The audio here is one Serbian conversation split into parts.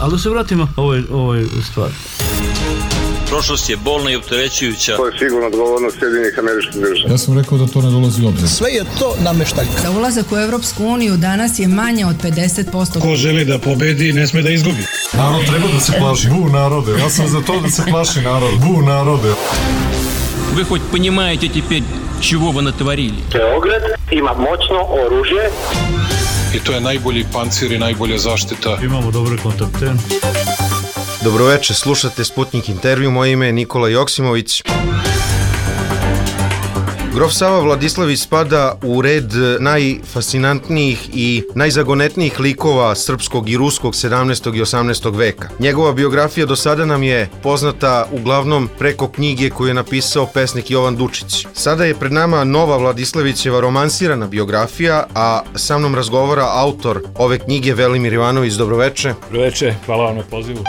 Ali da se vratimo ovoj stvari. Prošlost je bolna i opterećujuća. To je sigurno odgovornost Sjedinjenih Američkih Država. Ja sam rekao da to ne dolazi u obzir. Sve je to nameštaljka. Za ulazak u Evropsku uniju danas je manje od 50%. Ko želi da pobedi, ne sme da izgubi. Narod treba da se plaši. Bu narode, ja sam za to da se plaši narod. Bu narode. Вы хоть понимаете теперь, чего вы натворили? Beograd ima moćno oružje. I to je najbolji pancir i najbolja zaštita. Imamo dobre kontakte. Dobroveče, slušate Sputnik intervju, moje ime je Nikola Joksimović. Grof Sava Vladislavić spada u red najfascinantnijih i najzagonetnijih likova srpskog i ruskog 17. i 18. veka. Njegova biografija do sada nam je poznata uglavnom preko knjige koju je napisao pesnik Jovan Dučić. Sada je pred nama nova Vladislavićeva romansirana biografija, a sa mnom razgovara autor ove knjige Velimir Ivanović. Dobroveče. Dobroveče, hvala vam na pozivu.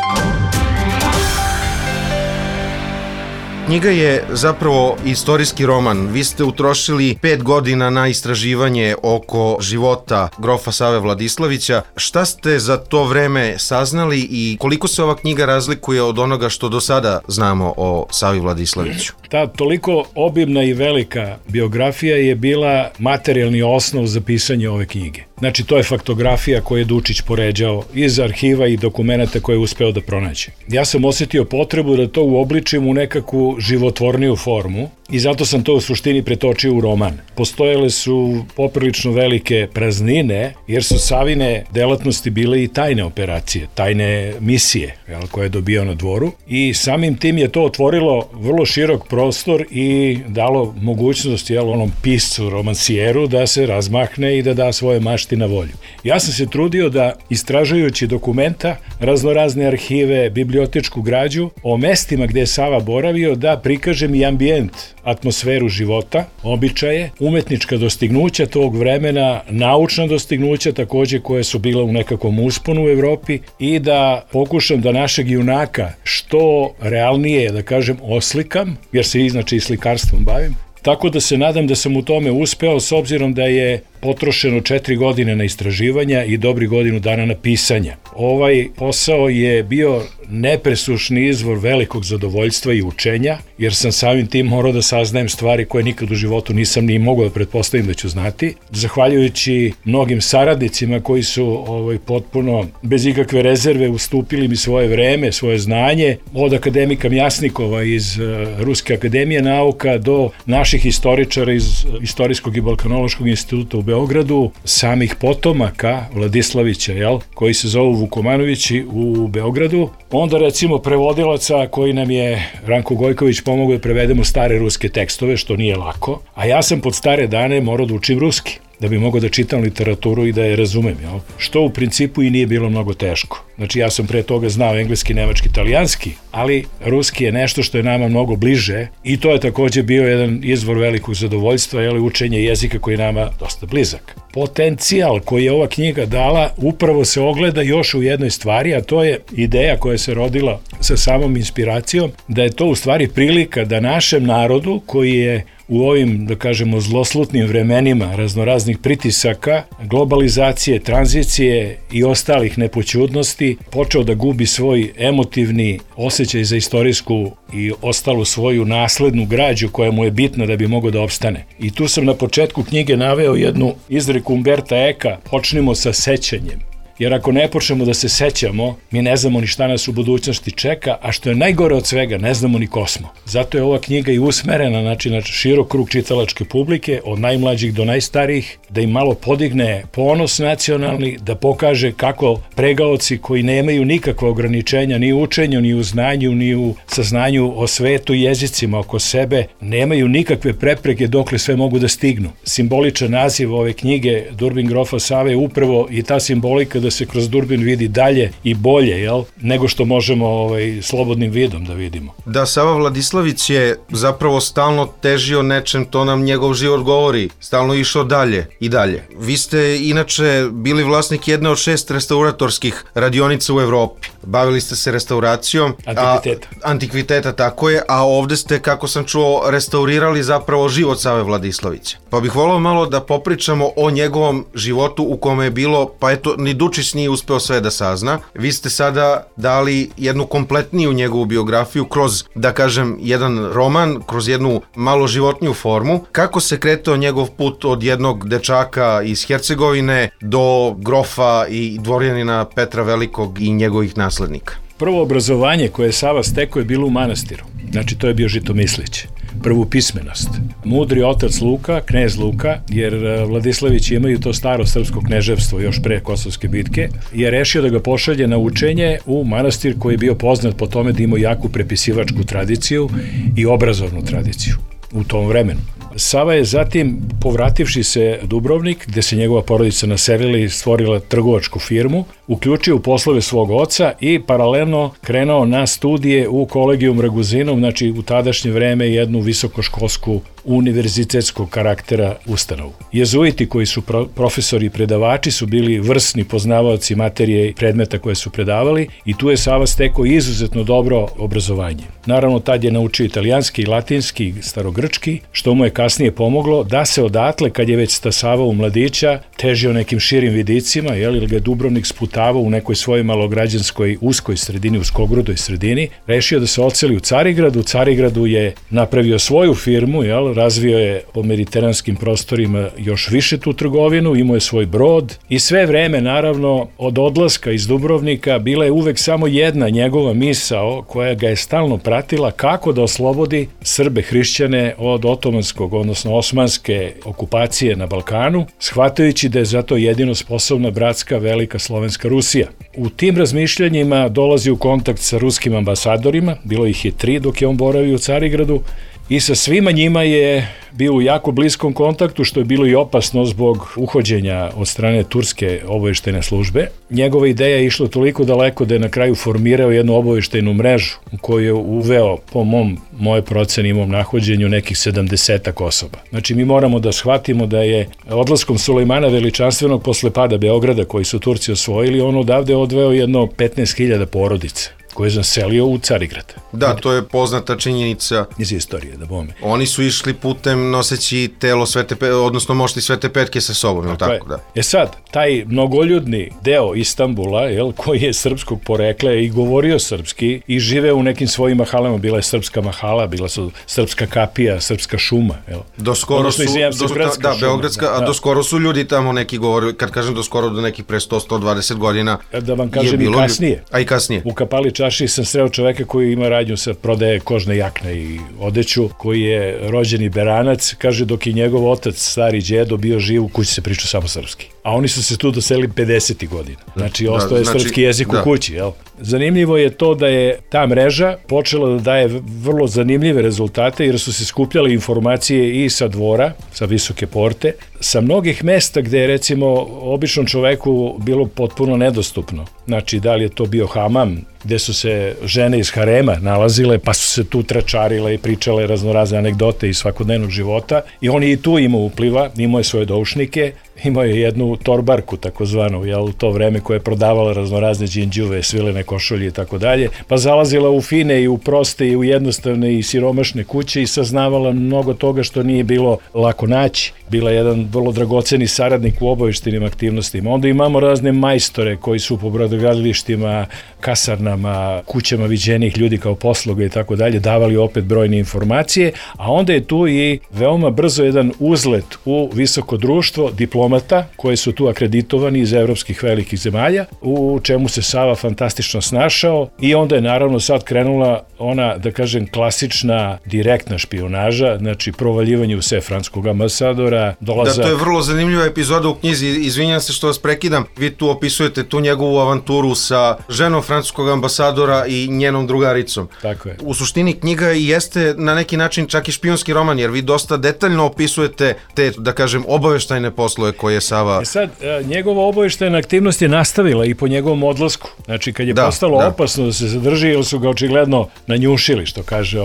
Knjiga je zapravo istorijski roman. Vi ste utrošili 5 godina na istraživanje oko života grofa Save Vladislavića. Šta ste za to vreme saznali i koliko se ova knjiga razlikuje od onoga što do sada znamo o Savi Vladislaviću? Ta toliko obimna i velika biografija je bila materijalni osnov za pisanje ove knjige. Znači, to je faktografija koju je Dučić poređao iz arhiva i dokumenta koje je uspeo da pronađe. Ja sam osjetio potrebu da to uobličim u nekakvu životvorniju formu i zato sam to u suštini pretočio u roman. Postojale su poprilično velike praznine, jer su Savine delatnosti bile i tajne operacije, tajne misije koje je dobio na dvoru i samim tim je to otvorilo vrlo širok prostor i dalo mogućnost onom piscu, romansijeru da se razmahne i da da svoje mašti na volju. Ja sam se trudio da, istražujući dokumenta, raznorazne arhive, bibliotečku građu, o mestima gde je Sava boravio, da prikažem i ambijent, atmosferu života, običaje, umetnička dostignuća tog vremena, naučna dostignuća takođe koje su bila u nekakvom usponu u Evropi i da pokušam da našeg junaka što realnije, da kažem, oslikam, jer se inače i slikarstvom bavim. Tako da se nadam da sam u tome uspeo, s obzirom da je potrošeno 4 godine na istraživanja i dobri godinu dana na pisanja. Ovaj posao je bio nepresušni izvor velikog zadovoljstva i učenja, jer sam samim tim morao da saznajem stvari koje nikad u životu nisam ni mogao da pretpostavim da ću znati. Zahvaljujući mnogim saradnicima koji su potpuno bez ikakve rezerve ustupili mi svoje vreme, svoje znanje, od akademika Mjasnikova iz Ruske akademije nauka do naših istoričara iz Istorijskog i Balkanološkog instituta u Beogradu, samih potomaka Vladislavića, koji se zovu Vukomanovići u Beogradu, onda recimo prevodilaca koji nam je Ranko Gojković pomogao da prevedemo stare ruske tekstove, što nije lako, a ja sam pod stare dane morao da učim ruski, da bi mogao da čitam literaturu i da je razumem, što u principu i nije bilo mnogo teško. Znači, ja sam pre toga znao engleski, nemački, italijanski, ali ruski je nešto što je nama mnogo bliže i to je takođe bio jedan izvor velikog zadovoljstva, učenje jezika koji je nama dosta blizak. Potencijal koji je ova knjiga dala upravo se ogleda još u jednoj stvari, a to je ideja koja se rodila sa samom inspiracijom, da je to u stvari prilika da našem narodu koji je u ovim, da kažemo, zloslutnim vremenima raznoraznih pritisaka, globalizacije, tranzicije i ostalih nepoćudnosti, počeo da gubi svoj emotivni osjećaj za istorijsku i ostalu svoju naslednu građu koja mu je bitna da bi mogao da opstane. I tu sam na početku knjige naveo jednu izreku Umberta Eka: počnimo sa sećanjem. Jer ako ne počnemo da se sećamo, mi ne znamo ni šta nas u budućnosti čeka, a što je najgore od svega, ne znamo ni ko smo. Zato je ova knjiga i usmerena na širok krug čitalačke publike, od najmlađih do najstarijih, da im malo podigne ponos nacionalni, da pokaže kako pregaoci koji nemaju nikakva ograničenja ni u učenju, ni u znanju, ni u saznanju o svetu i jezicima oko sebe, nemaju nikakve prepreke dokle sve mogu da stignu. Simboličan naziv ove knjige Durbin grofa Save je upravo i ta simbolika da se kroz durbin vidi dalje i bolje, nego što možemo slobodnim vidom da vidimo. Da, Sava Vladislavić je zapravo stalno težio nečem, to nam njegov život govori, stalno išao dalje i dalje. Vi ste inače bili vlasnik jedne od 6 restauratorskih radionica u Evropi. Bavili ste se restauracijom antikviteta, tako je, a ovde ste, kako sam čuo, restaurirali zapravo život Save Vladislavića. Pa bih volao malo da popričamo o njegovom životu u kome je bilo, pa eto, ni Dučić Vučić nije uspeo sve da sazna. Vi ste sada dali jednu kompletniju njegovu biografiju kroz, da kažem, jedan roman, kroz jednu malo životniju formu. Kako se kretao njegov put od jednog dečaka iz Hercegovine do grofa i dvorjanina Petra Velikog i njegovih naslednika? Prvo obrazovanje koje je Sava stekao je bilo u manastiru. Znači, to je bio Žitomislić. Prvu pismenost. Mudri otac Luka, knez Luka, jer Vladislavići imaju to staro srpsko kneževstvo još pre Kosovske bitke, je rešio da ga pošalje na učenje u manastir koji je bio poznat po tome da ima jaku prepisivačku tradiciju i obrazovnu tradiciju u tom vremenu. Sava je zatim, povrativši se u Dubrovnik, gde se njegova porodica naselila i stvorila trgovačku firmu, uključio u poslove svog oca i paralelno krenuo na studije u Kolegijum Raguzinum, znači u tadašnje vreme jednu visokoškolsku univerzitetskog karaktera ustanovu. Jezuiti koji su profesori i predavači su bili vrsni poznavaoci materije i predmeta koje su predavali i tu je Sava stekao izuzetno dobro obrazovanje. Naravno, tad je naučio italijanski i latinski i starogrčki, što mu je kasnije pomoglo da se odatle, kad je već stasavao u mladića, težio nekim širim vidicima, ili ga je Dubrovnik sputavao u nekoj svojoj malograđanskoj uskoj sredini, uskogrudoj sredini, rešio da se odseli u Carigradu. U Carigradu je napravio svoju firmu, razvio je po mediteranskim prostorima još više tu trgovinu, imao je svoj brod i sve vreme, naravno, od odlaska iz Dubrovnika bila je uvek samo jedna njegova misao koja ga je stalno pratila, kako da oslobodi Srbe hrišćane od otomanskog, odnosno osmanske okupacije na Balkanu, shvatajući da je zato jedino sposobna bratska velika slovenska Rusija. U tim razmišljanjima dolazi u kontakt sa ruskim ambasadorima, bilo ih je 3 dok je on boravio u Carigradu, i sa svima njima je bio u jako bliskom kontaktu, što je bilo i opasno zbog uhođenja od strane turske obaveštajne službe. Njegova ideja je išla toliko daleko da je na kraju formirao jednu obaveštajnu mrežu u koju je uveo, po moje proceni i mom nahođenju, nekih 70 osoba. Znači, mi moramo da shvatimo da je odlaskom Sulejmana Veličanstvenog posle pada Beograda, koji su Turci osvojili, on odavde odveo jedno 15.000 porodica koje je zaselio u Carigrad. Da, to je poznata činjenica iz istorije, da bome. Oni su išli putem noseći telo odnosno mošti Svete Petke sa sobom, ili tako? Da. Sad, taj mnogoljudni deo Istanbula, koji je srpskog porekla i govorio srpski i žive u nekim svojim mahalama, bila je srpska mahala, bila su srpska kapija, srpska šuma. Doskoro su, beogradska, a doskoro su ljudi tamo neki govorili, kad kažem doskoro, do nekih pre 100-120 godina. Da vam kažem i kasnije. A i kasnije. U Kapali Čaši sam sreo čoveka koji ima radnju sa prodaje kožne jakne i odeću, koji je rođeni Beranac, kaže dok je njegov otac, stari đedo, bio živ, u kući se priča samo srpski. A oni su se tu doselili 50. godina. Znači, ostao je srpski jezik u kući, Zanimljivo je to da je ta mreža počela da daje vrlo zanimljive rezultate, jer su se skupljale informacije i sa dvora, sa Visoke porte, sa mnogih mesta gde je, recimo, običnom čoveku bilo potpuno nedostupno. Znači, da li je to bio hamam, gde su se žene iz harema nalazile, pa su se tu tračarile i pričale raznorazne anegdote iz svakodnevnog života, i on je i tu imao upliva, imao je svoje doušnike, imao je jednu torbarku, takozvanu, u to vreme, koja je prodavala raznorazne đinđuve, svilene košulje i tako dalje, pa zalazila u fine i u proste i u jednostavne i siromašne kuće i saznavala mnogo toga što nije bilo lako naći. Bila je jedan vrlo dragoceni saradnik u obaveštajnim aktivnostima. Onda imamo razne majstore koji su po brodogradilištima, kasarnama, kućama viđenih ljudi kao posloga i tako dalje, davali opet brojne informacije, a onda je tu i veoma brzo jedan uzlet u visoko društvo diplomata koji su tu akreditovani iz evropskih velikih zemalja, u čemu se Sava fantastično snašao, i onda je naravno sad krenula ona, da kažem, klasična direktna špijunaža, znači provaljivanje u sve francuskog ambasadora, dolazak... Da, to je vrlo zanimljiva epizoda u knjizi, izvinjam se što vas prekidam, vi tu opisujete tu njegovu avanturu sa ženom francuskog ambasadora i njenom drugaricom. Tako je. U suštini knjiga jeste na neki način čak i špijunski roman, jer vi dosta detaljno opisujete te, da kažem, obaveštajne poslove koje je Sava... Sad, njegova obaveštajna aktivnost je nastavila i po njegovom odlasku. Znači, kad je postalo opasno da se zadrži, jer su ga očigledno nanjušili, što kaže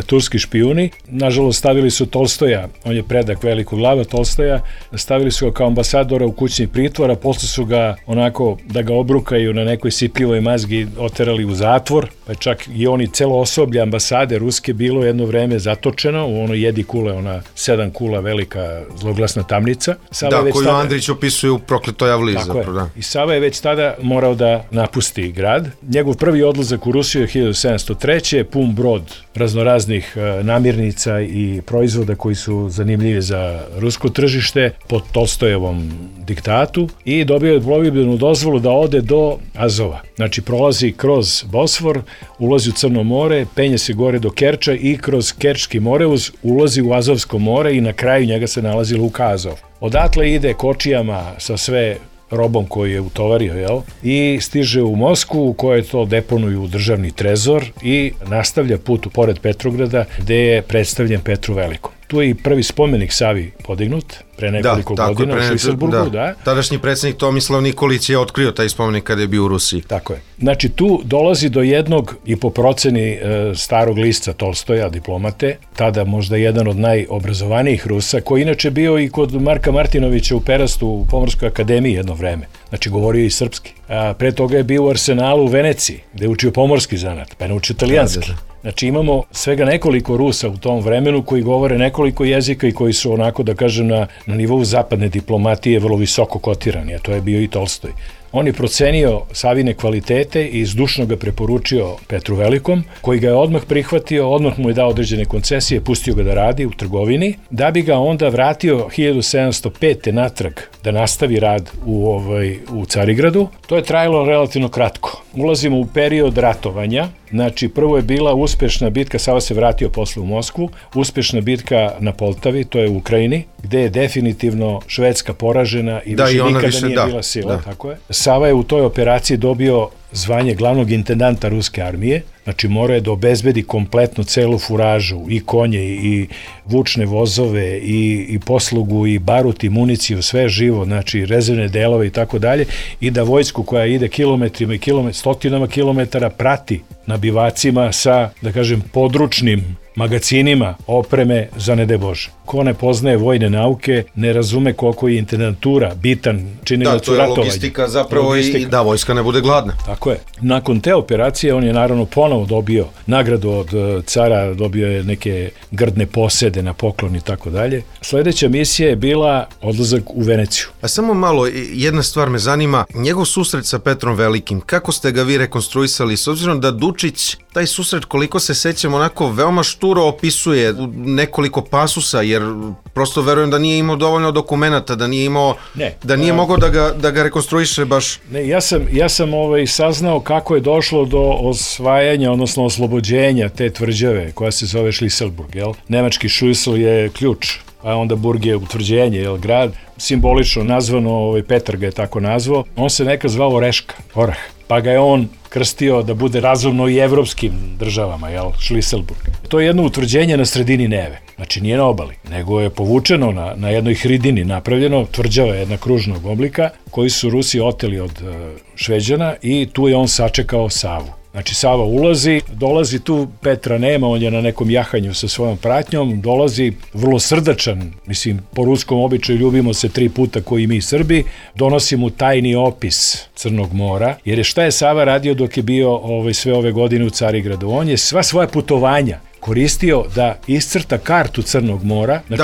turski špijuni. Nažalost, stavili su Tolstoja, on je predak velikog glava Tolstoja, stavili su ga kao ambasadora u kućni pritvor, a posle su ga onako da ga obrukaju na nekoj sipljivoj mazgi oterali u zatvor, pa čak i oni celo osoblje ambasade ruske bilo jedno vreme zatočeno u onoj jedi kule, ona 7 kula velika zloglasna tamnica. Sava je već koju tada... Andrić opisuje u Prokletoj Avliji. Tako je. I Sava je već tada morao da napusti grad. Njegov prvi odlazak u Rusiju je 1703. Pun brod raznoraznih namirnica i proizvoda koji su zanimljivi za rusko tržište pod Tolstojevom diktatu i dobio je plovidbenu dozvolu da ode do Azova. Znači prolazi kroz Bosfor, ulazi u Crno more, penje se gore do Kerča i kroz Kerčki moreuz ulazi u Azovsko more i na kraju njega se nalazi luka Azov. Odatle ide kočijama sa sve robom koji je utovario, jel? I stiže u Moskvu u kojoj to deponuju u državni trezor i nastavlja put pored Petrograda gde je predstavljen Petru Velikom. Tu je i prvi spomenik Savi podignut pre nekoliko godina u Šviselburgu. Da. Tadašnji predsjednik Tomislav Nikolić je otkrio taj spomenik kada je bio u Rusiji. Tako je. Znači tu dolazi do jednog, i po proceni starog lista Tolstoja, diplomate, tada možda jedan od najobrazovanijih Rusa, koji inače bio i kod Marka Martinovića u Perastu u Pomorskoj akademiji jedno vreme. Znači govorio i srpski. A pre toga je bio u Arsenalu u Veneciji, gde je učio pomorski zanat, pa je naučio italijanski. Znači imamo svega nekoliko Rusa u tom vremenu koji govore nekoliko jezika i koji su onako, da kažem, na nivou zapadne diplomatije vrlo visoko kotirani, a to je bio i Tolstoj. On je procenio Savine kvalitete i zdušno ga preporučio Petru Velikom, koji ga je odmah prihvatio, odmah mu je dao određene koncesije, pustio ga da radi u trgovini, da bi ga onda vratio 1705. natrag da nastavi rad u Carigradu. To je trajalo relativno kratko. Ulazimo u period ratovanja. Znači, prvo je bila uspešna bitka, Sava se vratio posle u Moskvu, uspešna bitka na Poltavi, to je u Ukrajini, gde je definitivno Švedska poražena i više nikada nije bila sila. Tako je. Sava je u toj operaciji dobio zvanje glavnog intendanta ruske armije, znači morao je da obezbedi kompletno celu furažu, i konje, i vučne vozove, i poslugu, i barut, i municiju, sve živo, znači rezervne delove i tako dalje, i da vojsku koja ide kilometrima i stotinama kilometara prati na bivacima sa, da kažem, područnim magacinima opreme za ne daj Bože. Ko ne poznaje vojne nauke, ne razume koliko je intendantura bitan činilac u ratovanju. Da, to je logistika zapravo i da vojska ne bude gladna. Tako je. Nakon te operacije on je naravno ponovo dobio nagradu od cara, dobio je neke grdne posede na poklon i tako dalje. Sledeća misija je bila odlazak u Veneciju. A samo malo, jedna stvar me zanima, njegov susret sa Petrom Velikim, kako ste ga vi rekonstruisali, s obzirom da Dučić taj susret, koliko se sećam, onako veoma šturo opisuje u nekoliko pasusa, jer prosto verujem da nije imao dovoljno dokumenata, da nije imao, da nije mogao da ga rekonstruiše baš. Ne, ja sam saznao kako je došlo do osvajanja, odnosno oslobođenja te tvrđave koja se zove Šliselburg, jel? Nemački Šuisl je ključ, a onda Burg je utvrđenje, jel, grad, simbolično nazvano, Petar ga je tako nazvao, on se nekad zvao Oreška, Orah, pa ga je on krstio da bude razumno i evropskim državama, jel, Šliselburg. To je jedno utvrđenje na sredini Neve, znači nije na obali, nego je povučeno na jednoj hridini napravljeno, tvrđava jedna kružnog oblika, koji su Rusi oteli od Šveđana i tu je on sačekao Savu. Znači Sava ulazi, dolazi tu, Petra nema, on je na nekom jahanju sa svojom pratnjom, dolazi vrlo srdačan, mislim, po ruskom običaju ljubimo se 3 puta koji mi Srbi, donosi mu tajni opis Crnog mora, jer šta je Sava radio dok je bio sve ove godine u Carigradu? On je sva svoja putovanja koristio da iscrta kartu Crnog mora, znači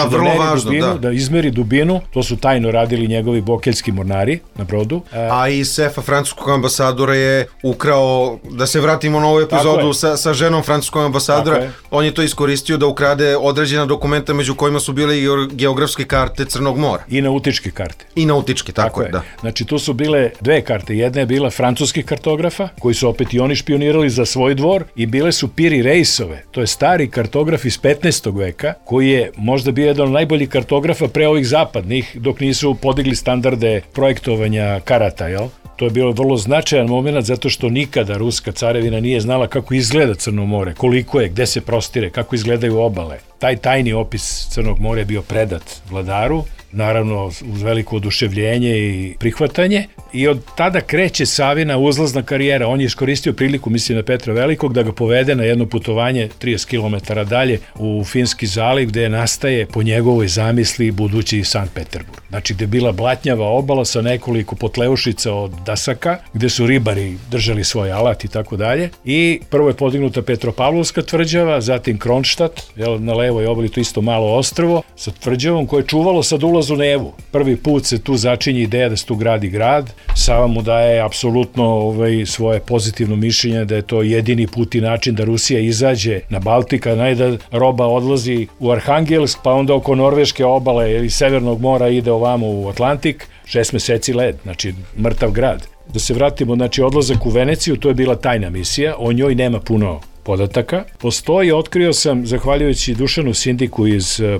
da izmeri dubinu, to su tajno radili njegovi bokeljski mornari na brodu. A i sefa francuskog ambasadora je ukrao, da se vratimo na ovu epizodu sa ženom francuskog ambasadora, on je to iskoristio da ukrade određena dokumenta među kojima su bile i geografske karte Crnog mora. I nautičke karte. I nautičke, tako je, da. Znači tu su bile 2 karte, jedna je bila francuskih kartografa, koji su opet i oni špionirali za svoj dvor, i bile su Piri Reisove, to je stari kartograf iz 15. veka, koji je možda bio jedan od najboljih kartografa pre ovih zapadnih, dok nisu podigli standarde projektovanja karata, jel? To je bilo vrlo značajan moment, zato što nikada ruska carevina nije znala kako izgleda Crno more, koliko je, gde se prostire, kako izgledaju obale. Taj tajni opis Crnog mora je bio predat vladaru, naravno uz veliko oduševljenje i prihvatanje, i od tada kreće Savina uzlazna karijera. On je iskoristio priliku, mislim na Petra Velikog, da ga povede na jedno putovanje 30 km dalje u Finski zaliv, gde nastaje po njegovoj zamisli budući Sankt Peterburg. Znači gde je bila blatnjava obala sa nekoliko potleušica od dasaka, gde su ribari držali svoj alat i tako dalje. I prvo je podignuta Petropavlovska tvrđava, zatim Kronštat, na levoj obali, to isto malo ostrvo, sa tvrđavom koje je čuvalo sad ulaz u Nevu. Prvi put se tu začinje ideja da se tu gradi grad. Sava mu daje apsolutno svoje pozitivno mišljenje da je to jedini put i način da Rusija izađe na Baltika, da roba odlazi u Arhangelsk, pa onda oko Norveške obale ili Severnog mora ide ovamo u Atlantik, 6 meseci led, znači mrtav grad. Da se vratimo, znači odlazak u Veneciju, to je bila tajna misija, o njoj nema puno podataka. Postoji, otkrio sam, zahvaljujući Dušanu Sindiku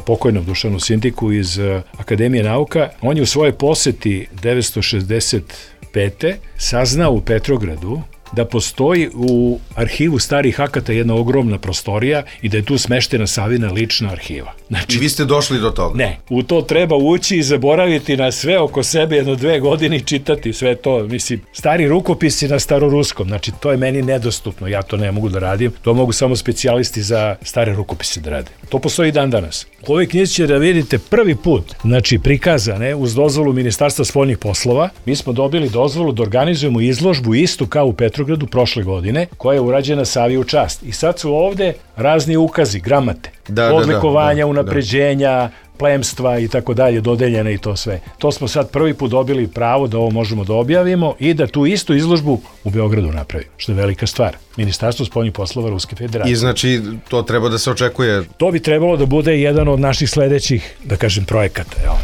pokojnom Dušanu Sindiku iz Akademije nauka, on je u svojoj poseti 965. saznao u Petrogradu da postoji u arhivu starih akata jedna ogromna prostorija i da je tu smeštena Savina lična arhiva. Znači, i vi ste došli do toga? Ne, u to treba ući i zaboraviti na sve oko sebe 1-2 godine i čitati sve to. Mislim, stari rukopisi na staroruskom, znači to je meni nedostupno, ja to ne mogu da radim, to mogu samo specijalisti za stare rukopise da rade. To postoji dan danas. U ovoj knjizi će da vidite prvi put, znači prikazane uz dozvolu Ministarstva spoljnih poslova, mi smo dobili dozvolu da organizujemo izložbu istu kao u Petrogradu prošle godine, koja je urađena Savi u čast. I sad su ovde razni ukazi, gramate, odlikovanja, unapređenja, plemstva i tako dalje, dodeljene i to sve. To smo sad prvi put dobili pravo da ovo možemo da objavimo i da tu istu izložbu u Beogradu napravimo, što je velika stvar. Ministarstvo spoljnih poslova Ruske federacije. I znači to treba da se očekuje? To bi trebalo da bude jedan od naših sledećih, da kažem, projekata, jel?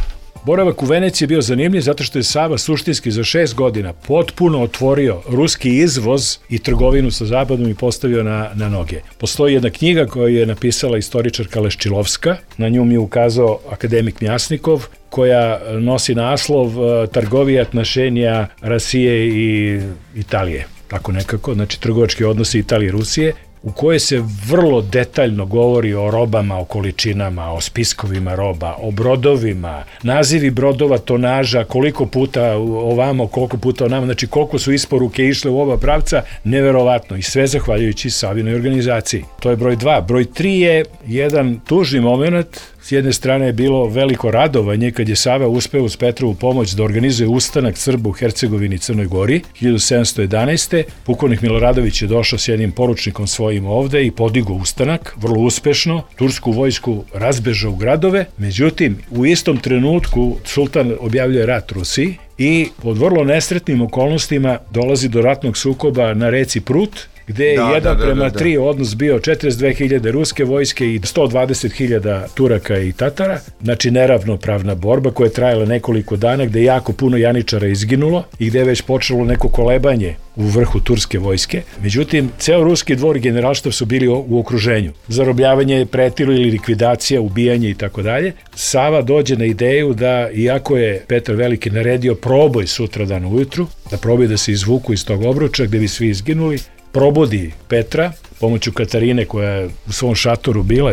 Boravak u Veneciji je bio zanimljiv zato što je Sava suštinski za 6 godina potpuno otvorio ruski izvoz i trgovinu sa zapadom i postavio na noge. Postoji jedna knjiga koju je napisala istoričarka Leščilovska, na nju mi je ukazao akademik Mjasnikov, koja nosi naslov Trgovija отношения Rusije i Italije, tako nekako, znači trgovački odnosi Italije i Rusije, u kojoj se vrlo detaljno govori o robama, o količinama, o spiskovima roba, o brodovima, nazivi brodova, tonaža, koliko puta ovamo, koliko puta onamo, znači koliko su isporuke išle u oba pravca, neverovatno i sve zahvaljujući Savinoj organizaciji. To je broj 2. Broj 3 je jedan tužni moment. S jedne strane je bilo veliko radovanje kad je Sava uspeo uz Petrovu pomoć da organizuje ustanak Srba u Hercegovini i Crnoj Gori 1711. Pukovnik Miloradović je došao s jednim poručnikom svojim ovde i podigao ustanak, vrlo uspešno, tursku vojsku razbežao u gradove, međutim u istom trenutku sultan objavljuje rat Rusiji i pod vrlo nesretnim okolnostima dolazi do ratnog sukoba na reci Prut, gde je 1:3 odnos bio 42.000 ruske vojske i 120.000 Turaka i Tatara, znači neravnopravna borba koja je trajala nekoliko dana, gde je jako puno janičara izginulo i gde je već počelo neko kolebanje u vrhu turske vojske. Međutim, ceo ruski dvor i generalštab su bili u okruženju. Zarobljavanje, pretilo ili likvidacija, ubijanje i tako dalje. Sava dođe na ideju da, iako je Petar Veliki naredio proboj sutradan ujutru, da proboj da se izvuku iz tog obruča gde bi svi izginuli, probudi Petra pomoću Katarine koja je u svom šatoru bila,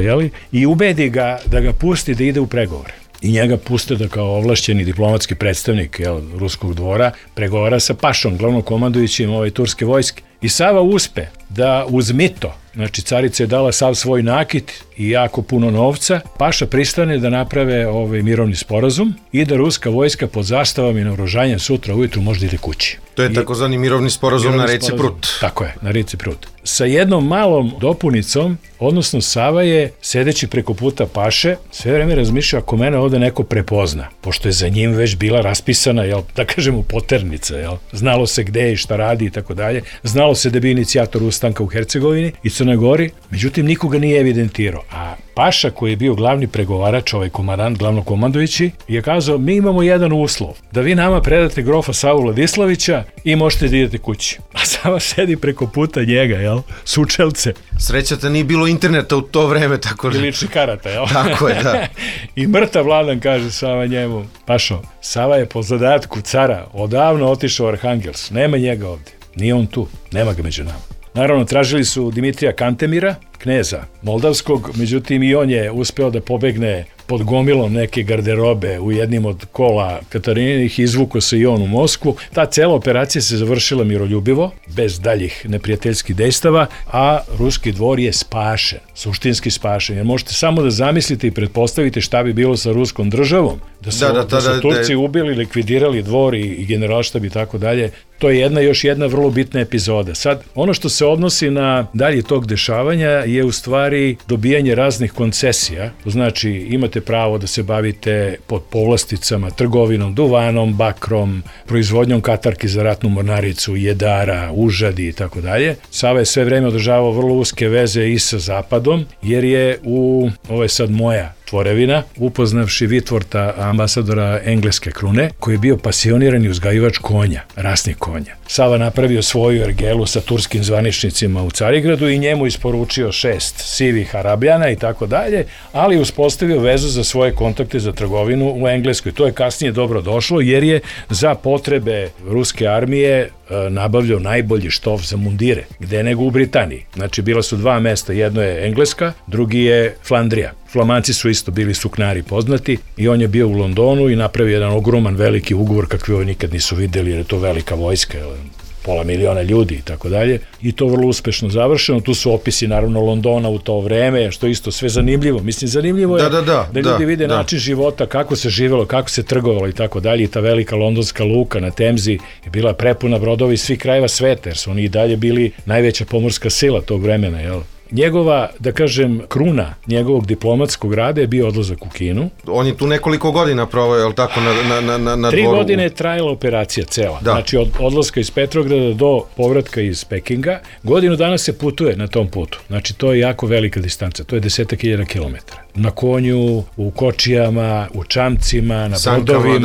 i ubedi ga da ga pusti da ide u pregovore. I njega puste da kao ovlašćeni diplomatski predstavnik ruskog dvora pregovara sa Pašom, glavnom komandujućim turske vojske. I Sava uspe da uz mito, znači carica je dala sav svoj nakit i jako puno novca, Paša pristane da naprave mirovni sporazum i da ruska vojska pod zastavom i naoružanjem sutra ujutru može da ide kući. To je takozvani mirovni sporazum na reci Prut. Tako je, na reci Prut. Sa jednom malom dopunicom, odnosno Sava je, sedeći preko puta Paše, sve vreme razmišljao ako mene ovde neko prepozna, pošto je za njim već bila raspisana, da kažemo, poternica, znalo se gde i šta radi i tako dalje, znalo se da bi inicijator ustanka u Hercegovini i Crnoj Gori, međutim nikoga nije evidentirao, a Paša, koji je bio glavni pregovarač, komandant, glavnokomandujući, je kazao, mi imamo jedan uslov, da vi nama predate grofa Savu Vladislavića i možete da idete kući. A Sava sedi preko puta njega, sučelce. Srećata nije bilo interneta u to vreme, tako da... I lični karata, Tako je, da. I mrtav Vladan kaže Sava njemu, Pašo, Sava je po zadatku cara odavno otišao u Arhangelsk, nema njega ovde, nije on tu, nema ga među nama. Naravno, tražili su Dimitrija Kantemira, kneza moldavskog, međutim i on je uspeo da pobegne pod gomilom neke garderobe u jednim od kola Katarininih, izvuko se i on u Moskvu. Ta cela operacija se završila miroljubivo, bez daljih neprijateljskih dejstava, a ruski dvor je spašen, suštinski spašen, jer možete samo da zamislite i pretpostavite šta bi bilo sa ruskom državom, da su Turci ubili, likvidirali dvor i generalštab i tako dalje. To je još jedna vrlo bitna epizoda. Sad, ono što se odnosi na dalje tog dešavanja je u stvari dobijanje raznih koncesija. Znači, imate pravo da se bavite pod povlasticama, trgovinom, duvanom, bakrom, proizvodnjom katarki za ratnu mornaricu, jedara, užadi i tako dalje. Sava je sve vreme održavao vrlo uske veze i sa Zapadom, jer je ovo je sad moja tvorevina, upoznavši Vitvorta, ambasadora engleske krune, koji je bio pasioniran i uzgajivač konja, rasnih konja. Sava napravio svoju ergelu sa turskim zvaničnicima u Carigradu i njemu isporučio 6 sivih Arabljana i tako dalje, ali uspostavio vezu za svoje kontakte za trgovinu u Engleskoj. To je kasnije dobro došlo jer je za potrebe ruske armije nabavljao najbolji štof za mundire. Gde nego u Britaniji. Znači, bila su dva mesta, jedno je Engleska, drugi je Flandrija. Flamanci su isto bili suknari poznati i on je bio u Londonu i napravio jedan ogroman veliki ugovor kakvi ovo nikad nisu videli, jer je to velika vojska, pola miliona ljudi i tako dalje. I to vrlo uspešno završeno. Tu su opisi naravno Londona u to vreme, što isto sve zanimljivo. Mislim, zanimljivo je da ljudi vide način života, kako se živelo, kako se trgovalo i tako dalje. I ta velika londonska luka na Temzi je bila prepuna brodova iz svih krajeva sveta, jer su oni i dalje bili najveća pomorska sila tog vremena, jel? Njegova, da kažem, kruna njegovog diplomatskog rada je bio odlazak u Kinu. On je tu nekoliko godina proveo, je li tako, na dvoru? 3 godine je trajala operacija cela. Da. Znači, od odlaska iz Petrograda do povratka iz Pekinga. Godinu dana se putuje na tom putu. Znači, to je jako velika distanca. To je 10.000 kilometara. Na konju, u kočijama, u čamcima, na brodovima.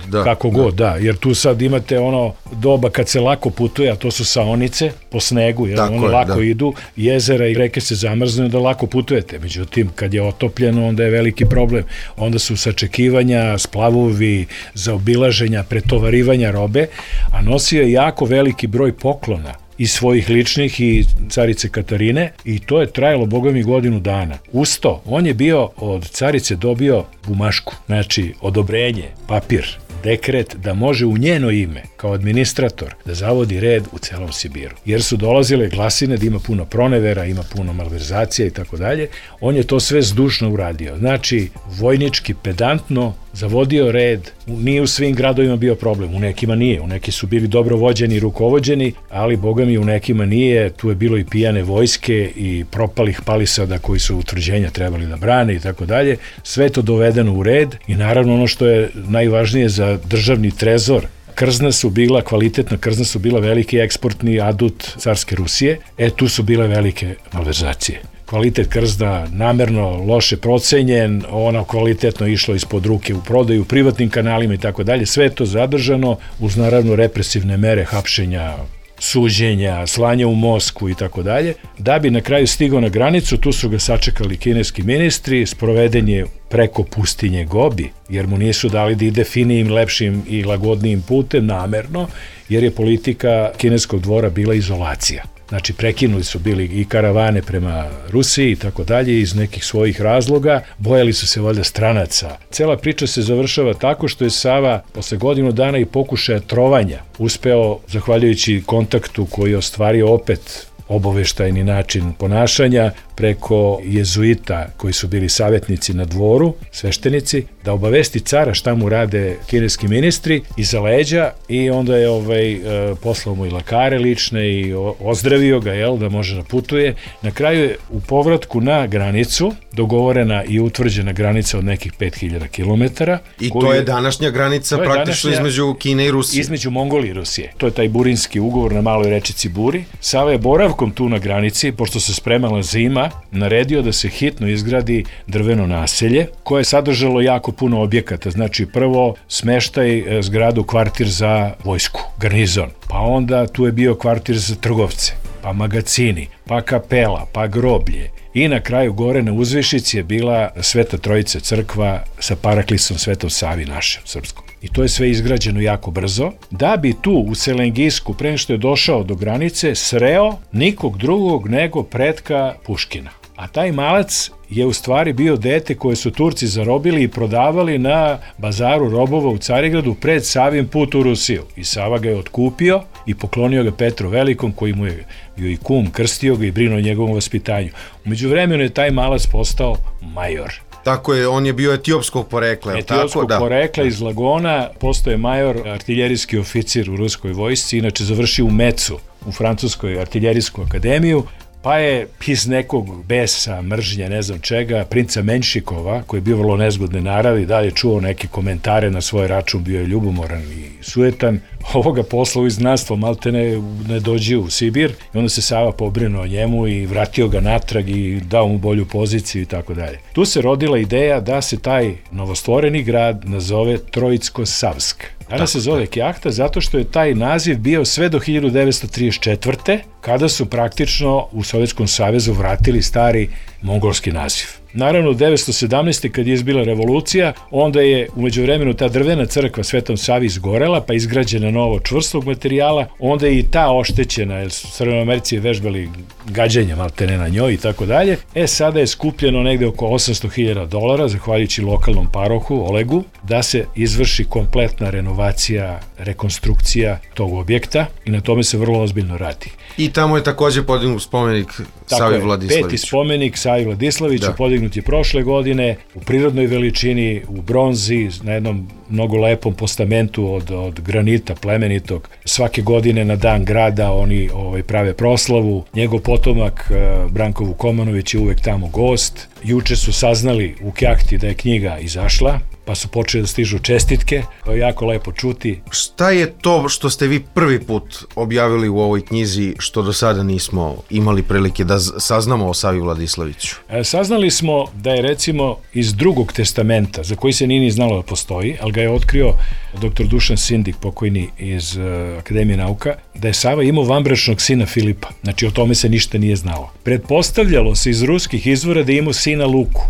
Da, kako god, da. Jer tu sad imate ono doba kad se lako putuje, a to su saonice po snegu, jer ono lako idu, jezera i reke se zamrznu da lako putujete. Međutim, kad je otopljeno, onda je veliki problem. Onda su sačekivanja, splavovi, zaobilaženja, pretovarivanja robe, a nosio je jako veliki broj poklona i svojih ličnih i carice Katarine i to je trajalo, boga mi, godinu dana. Uz to, on je bio od carice dobio bumašku, znači odobrenje, papir, dekret da može u njeno ime, kao administrator, da zavodi red u celom Sibiru. Jer su dolazile glasine da ima puno pronevera, ima puno malverzacija i tako dalje. On je to sve zdušno uradio. Znači, vojnički, pedantno, zavodio red. Nije u svim gradovima bio problem, u nekima nije. U neki su bili dobro vođeni i rukovođeni, ali, boga mi, u nekima nije. Tu je bilo i pijane vojske i propalih palisada koji su utvrđenja trebali da brane i tako dalje. Sve to dovedeno u red i naravno ono što je najvažnije za državni trezor, krzna su bila, kvalitetna krzna su bila veliki eksportni adut carske Rusije. Tu su bile velike malverzacije. Kvalitet krzna namerno loše procenjen, ono kvalitetno išlo ispod ruke u prodaju, privatnim kanalima i tako dalje. Sve to zadržano uz naravno represivne mere hapšenja, suđenja, slanja u Moskvu i tako dalje. Da bi na kraju stigao na granicu, tu su ga sačekali kineski ministri, sproveden je preko pustinje Gobi, jer mu nisu dali da ide finijim, lepšim i lagodnijim putem namerno, jer je politika kineskog dvora bila izolacija. Znači, prekinuli su bili i karavane prema Rusiji i tako dalje iz nekih svojih razloga, bojali su se valjda stranaca. Cela priča se završava tako što je Sava posle godinu dana i pokušaja trovanja uspeo, zahvaljujući kontaktu koji je ostvario opet obaveštajni način ponašanja preko jezuita koji su bili savjetnici na dvoru, sveštenici, da obavesti cara šta mu rade kineski ministri iza leđa i onda je poslao mu i lekare lične i ozdravio ga, da može da putuje. Na kraju je u povratku na granicu dogovorena i utvrđena granica od nekih 5000 kilometara. I to je današnja granica praktično između Kine i Rusije. Između Mongolije i Rusije. To je taj burinski ugovor na maloj rečici Buri. Sava je boravkom tu na granici, pošto se spremala zima, naredio da se hitno izgradi drveno naselje koje je sadržalo jako puno objekata. Znači, prvo smeštaj zgradu, kvartir za vojsku, garnizon. Pa onda tu je bio kvartir za trgovce, pa magacini, pa kapela, pa groblje. I na kraju gore na uzvišici je bila Sveta Trojica crkva sa paraklisom Svetom Savi našem srpskom. I to je sve izgrađeno jako brzo, da bi tu u Selengisku, pre nego što je došao do granice, sreo nikog drugog nego pretka Puškina. A taj malac je u stvari bio dete koje su Turci zarobili i prodavali na bazaru robova u Carigradu pred Savin put u Rusiju. I Sava ga je otkupio i poklonio ga Petru Velikom, koji mu je bio i kum, krstio ga i brinuo o njegovom vaspitanju. Umeđu vremenu je taj malac postao major. Tako je, on je bio etiopskog porekla. Etiopskog porekla iz Lagona, postoje major, artiljerijski oficir u ruskoj vojsci, inače završio u Mecu, u Francuskoj artiljerijsku akademiju, pa je iz nekog besa, mržnje, ne znam čega, princa Menšikova, koji je bio vrlo nezgodne naravi, dalje čuo neke komentare na svoj račun, bio je ljubomoran i sujetan, ovoga posla u iznanstvo maltene ne dođe u Sibir i onda se Sava pobrinuo o njemu i vratio ga natrag i dao mu bolju poziciju i tako dalje. Tu se rodila ideja da se taj novostvoreni grad nazove Trojicko-Savsk. Danas se zove Kjahta zato što je taj naziv bio sve do 1934. kada su praktično u Sovjetskom savezu vratili stari mongolski naziv. Naravno, u 1917. kad je izbila revolucija, onda je umeđu vremenu ta drvena crkva Svetom Savi izgorela, pa izgrađena novo čvrstog materijala, onda je i ta oštećena, jer su Crvenomerci vežbali gađenja maltene na njoj i tako dalje. Sada je skupljeno negde oko $800.000, zahvaljujući lokalnom parohu Olegu, da se izvrši kompletna renovacija, rekonstrukcija tog objekta i na tome se vrlo ozbiljno radi. I tamo je takođe podignut spomenik Savi Vladislaviću. Peti spomenik Savi Vladislaviću, podignut je prošle godine u prirodnoj veličini, u bronzi, na jednom mnogo lepom postamentu od granita plemenitog. Svake godine na dan grada oni prave proslavu. Njegov potomak Branko Vukomanović je uvek tamo gost. Juče su saznali u Kjahti da je knjiga izašla, pa su počeli da stižu čestitke, to je jako lepo čuti. Šta je to što ste vi prvi put objavili u ovoj knjizi što do sada nismo imali prilike da saznamo o Savi Vladislaviću? Saznali smo da je recimo iz Drugog testamenta, za koji se nije ni znalo da postoji, ali ga je otkrio dr. Dušan Sindik, pokojni iz Akademije nauka, da je Sava imao vanbračnog sina Filipa. Znači o tome se ništa nije znalo. Pretpostavljalo se iz ruskih izvora da je imao sina Luku,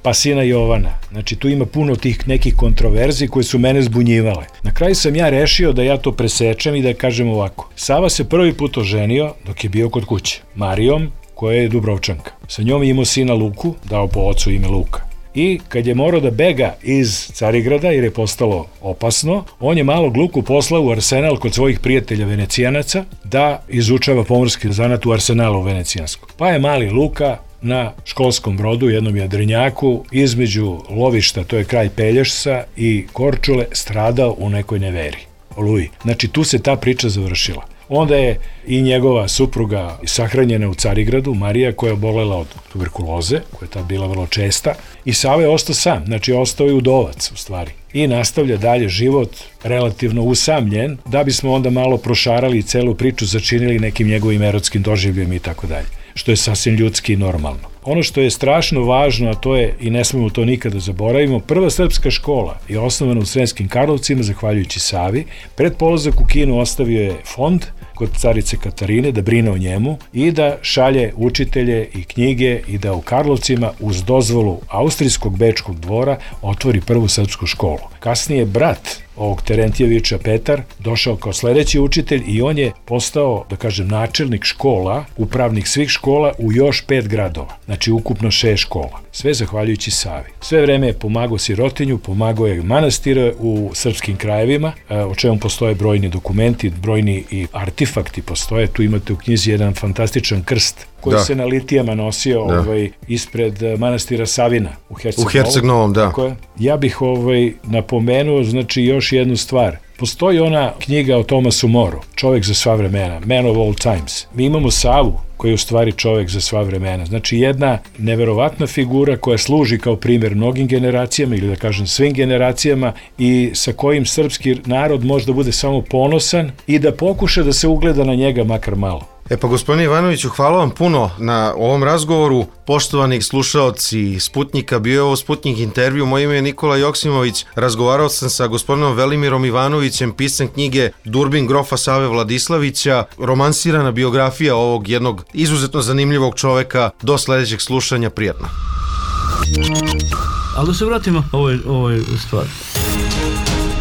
pa sina Jovana. Znači tu ima puno tih nekih kontroverzi koje su mene zbunjivale. Na kraju sam ja rešio da ja to presečem i da kažem ovako. Sava se prvi put oženio dok je bio kod kuće. Marijom, koja je Dubrovčanka. Sa njom je imao sina Luku, dao po ocu ime Luka. I kad je morao da bega iz Carigrada jer je postalo opasno, on je malog Luku poslao u arsenal kod svojih prijatelja Venecijanaca da izučava pomorski zanat u arsenalu venecijanskom. Pa je mali Luka na školskom brodu, jednom jadrenjaku, između lovišta, to je kraj Pelješca, i Korčule, stradao u nekoj neveri, oluji. Znači tu se ta priča završila. Onda je i njegova supruga sahranjena u Carigradu, Marija, koja je obolela od tuberkuloze, koja je tad bila vrlo česta, i Sava je ostao sam, znači ostao je udovac u stvari. I nastavlja dalje život relativno usamljen, da bismo onda malo prošarali celu priču, začinili nekim njegovim erotskim doživljem i tako dalje, što je sasvim ljudski i normalno. Ono što je strašno važno, a to je, i ne smemo to nikada zaboravimo, prva srpska škola je osnovana u Sremskim Karlovcima, zahvaljujući Savi. Pred polazak u Kinu ostavio je fond kod carice Katarine da brine o njemu i da šalje učitelje i knjige i da u Karlovcima uz dozvolu austrijskog bečkog dvora otvori prvu srpsku školu. Kasnije brat ovog Terentijevića, Petar, došao kao sledeći učitelj i on je postao, da kažem, načelnik škola, upravnik svih škola u još 5 gradova. Znači ukupno 6 škola. Sve zahvaljujući Savi. Sve vreme je pomagao sirotinju, pomagao je manastire u srpskim krajevima, o čemu postoje brojni dokumenti, brojni i artefakti postoje. Tu imate u knjizi jedan fantastičan krst koji se na litijama nosio ispred manastira Savina u Herceg-Novom. Da. Ja bih napomenuo, znači, još jednu stvar. Postoji ona knjiga o Tomasu Moru, Čovek za sva vremena, Man of all times. Mi imamo Savu, koji je u stvari čovek za sva vremena. Znači jedna neverovatna figura koja služi kao primjer mnogim generacijama, ili da kažem svim generacijama, i sa kojim srpski narod može da bude samo ponosan i da pokuša da se ugleda na njega makar malo. Pa gospodine Ivanoviću, hvala vam puno na ovom razgovoru. Poštovani slušaoci Sputnika, bio je ovo Sputnik intervju, moje ime je Nikola Joksimović, razgovarao sam sa gospodinom Velimirom Ivanovićem, pisan knjige Durbin grofa Save Vladislavića, romansirana biografija ovog jednog izuzetno zanimljivog čoveka. Do sledećeg slušanja, prijatno. Ali da se vratimo ovoj stvari.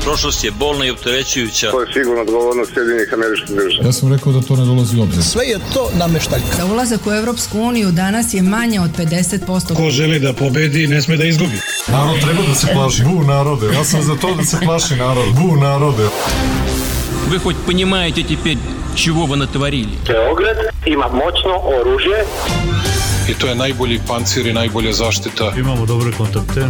Prošlost je bolna i opterećujuća. To je sigurno odgovornost Sjedinjenih Američkih Država. Ja sam rekao da to ne dolazi u obzir. Sve je to nameštaljka. Za ulazak u Evropsku uniju danas je manje od 50%. Ko želi da pobedi, ne sme da izgubi. Narod treba da se plaši. Bu narode. Ja sam za to da se plaši narod. Bu narode. Вы хоть понимаете теперь, чего вы натворили? Beograd ima moćno oružje. I to je najbolji pancir i najbolja zaštita. Imamo dobre kontakte.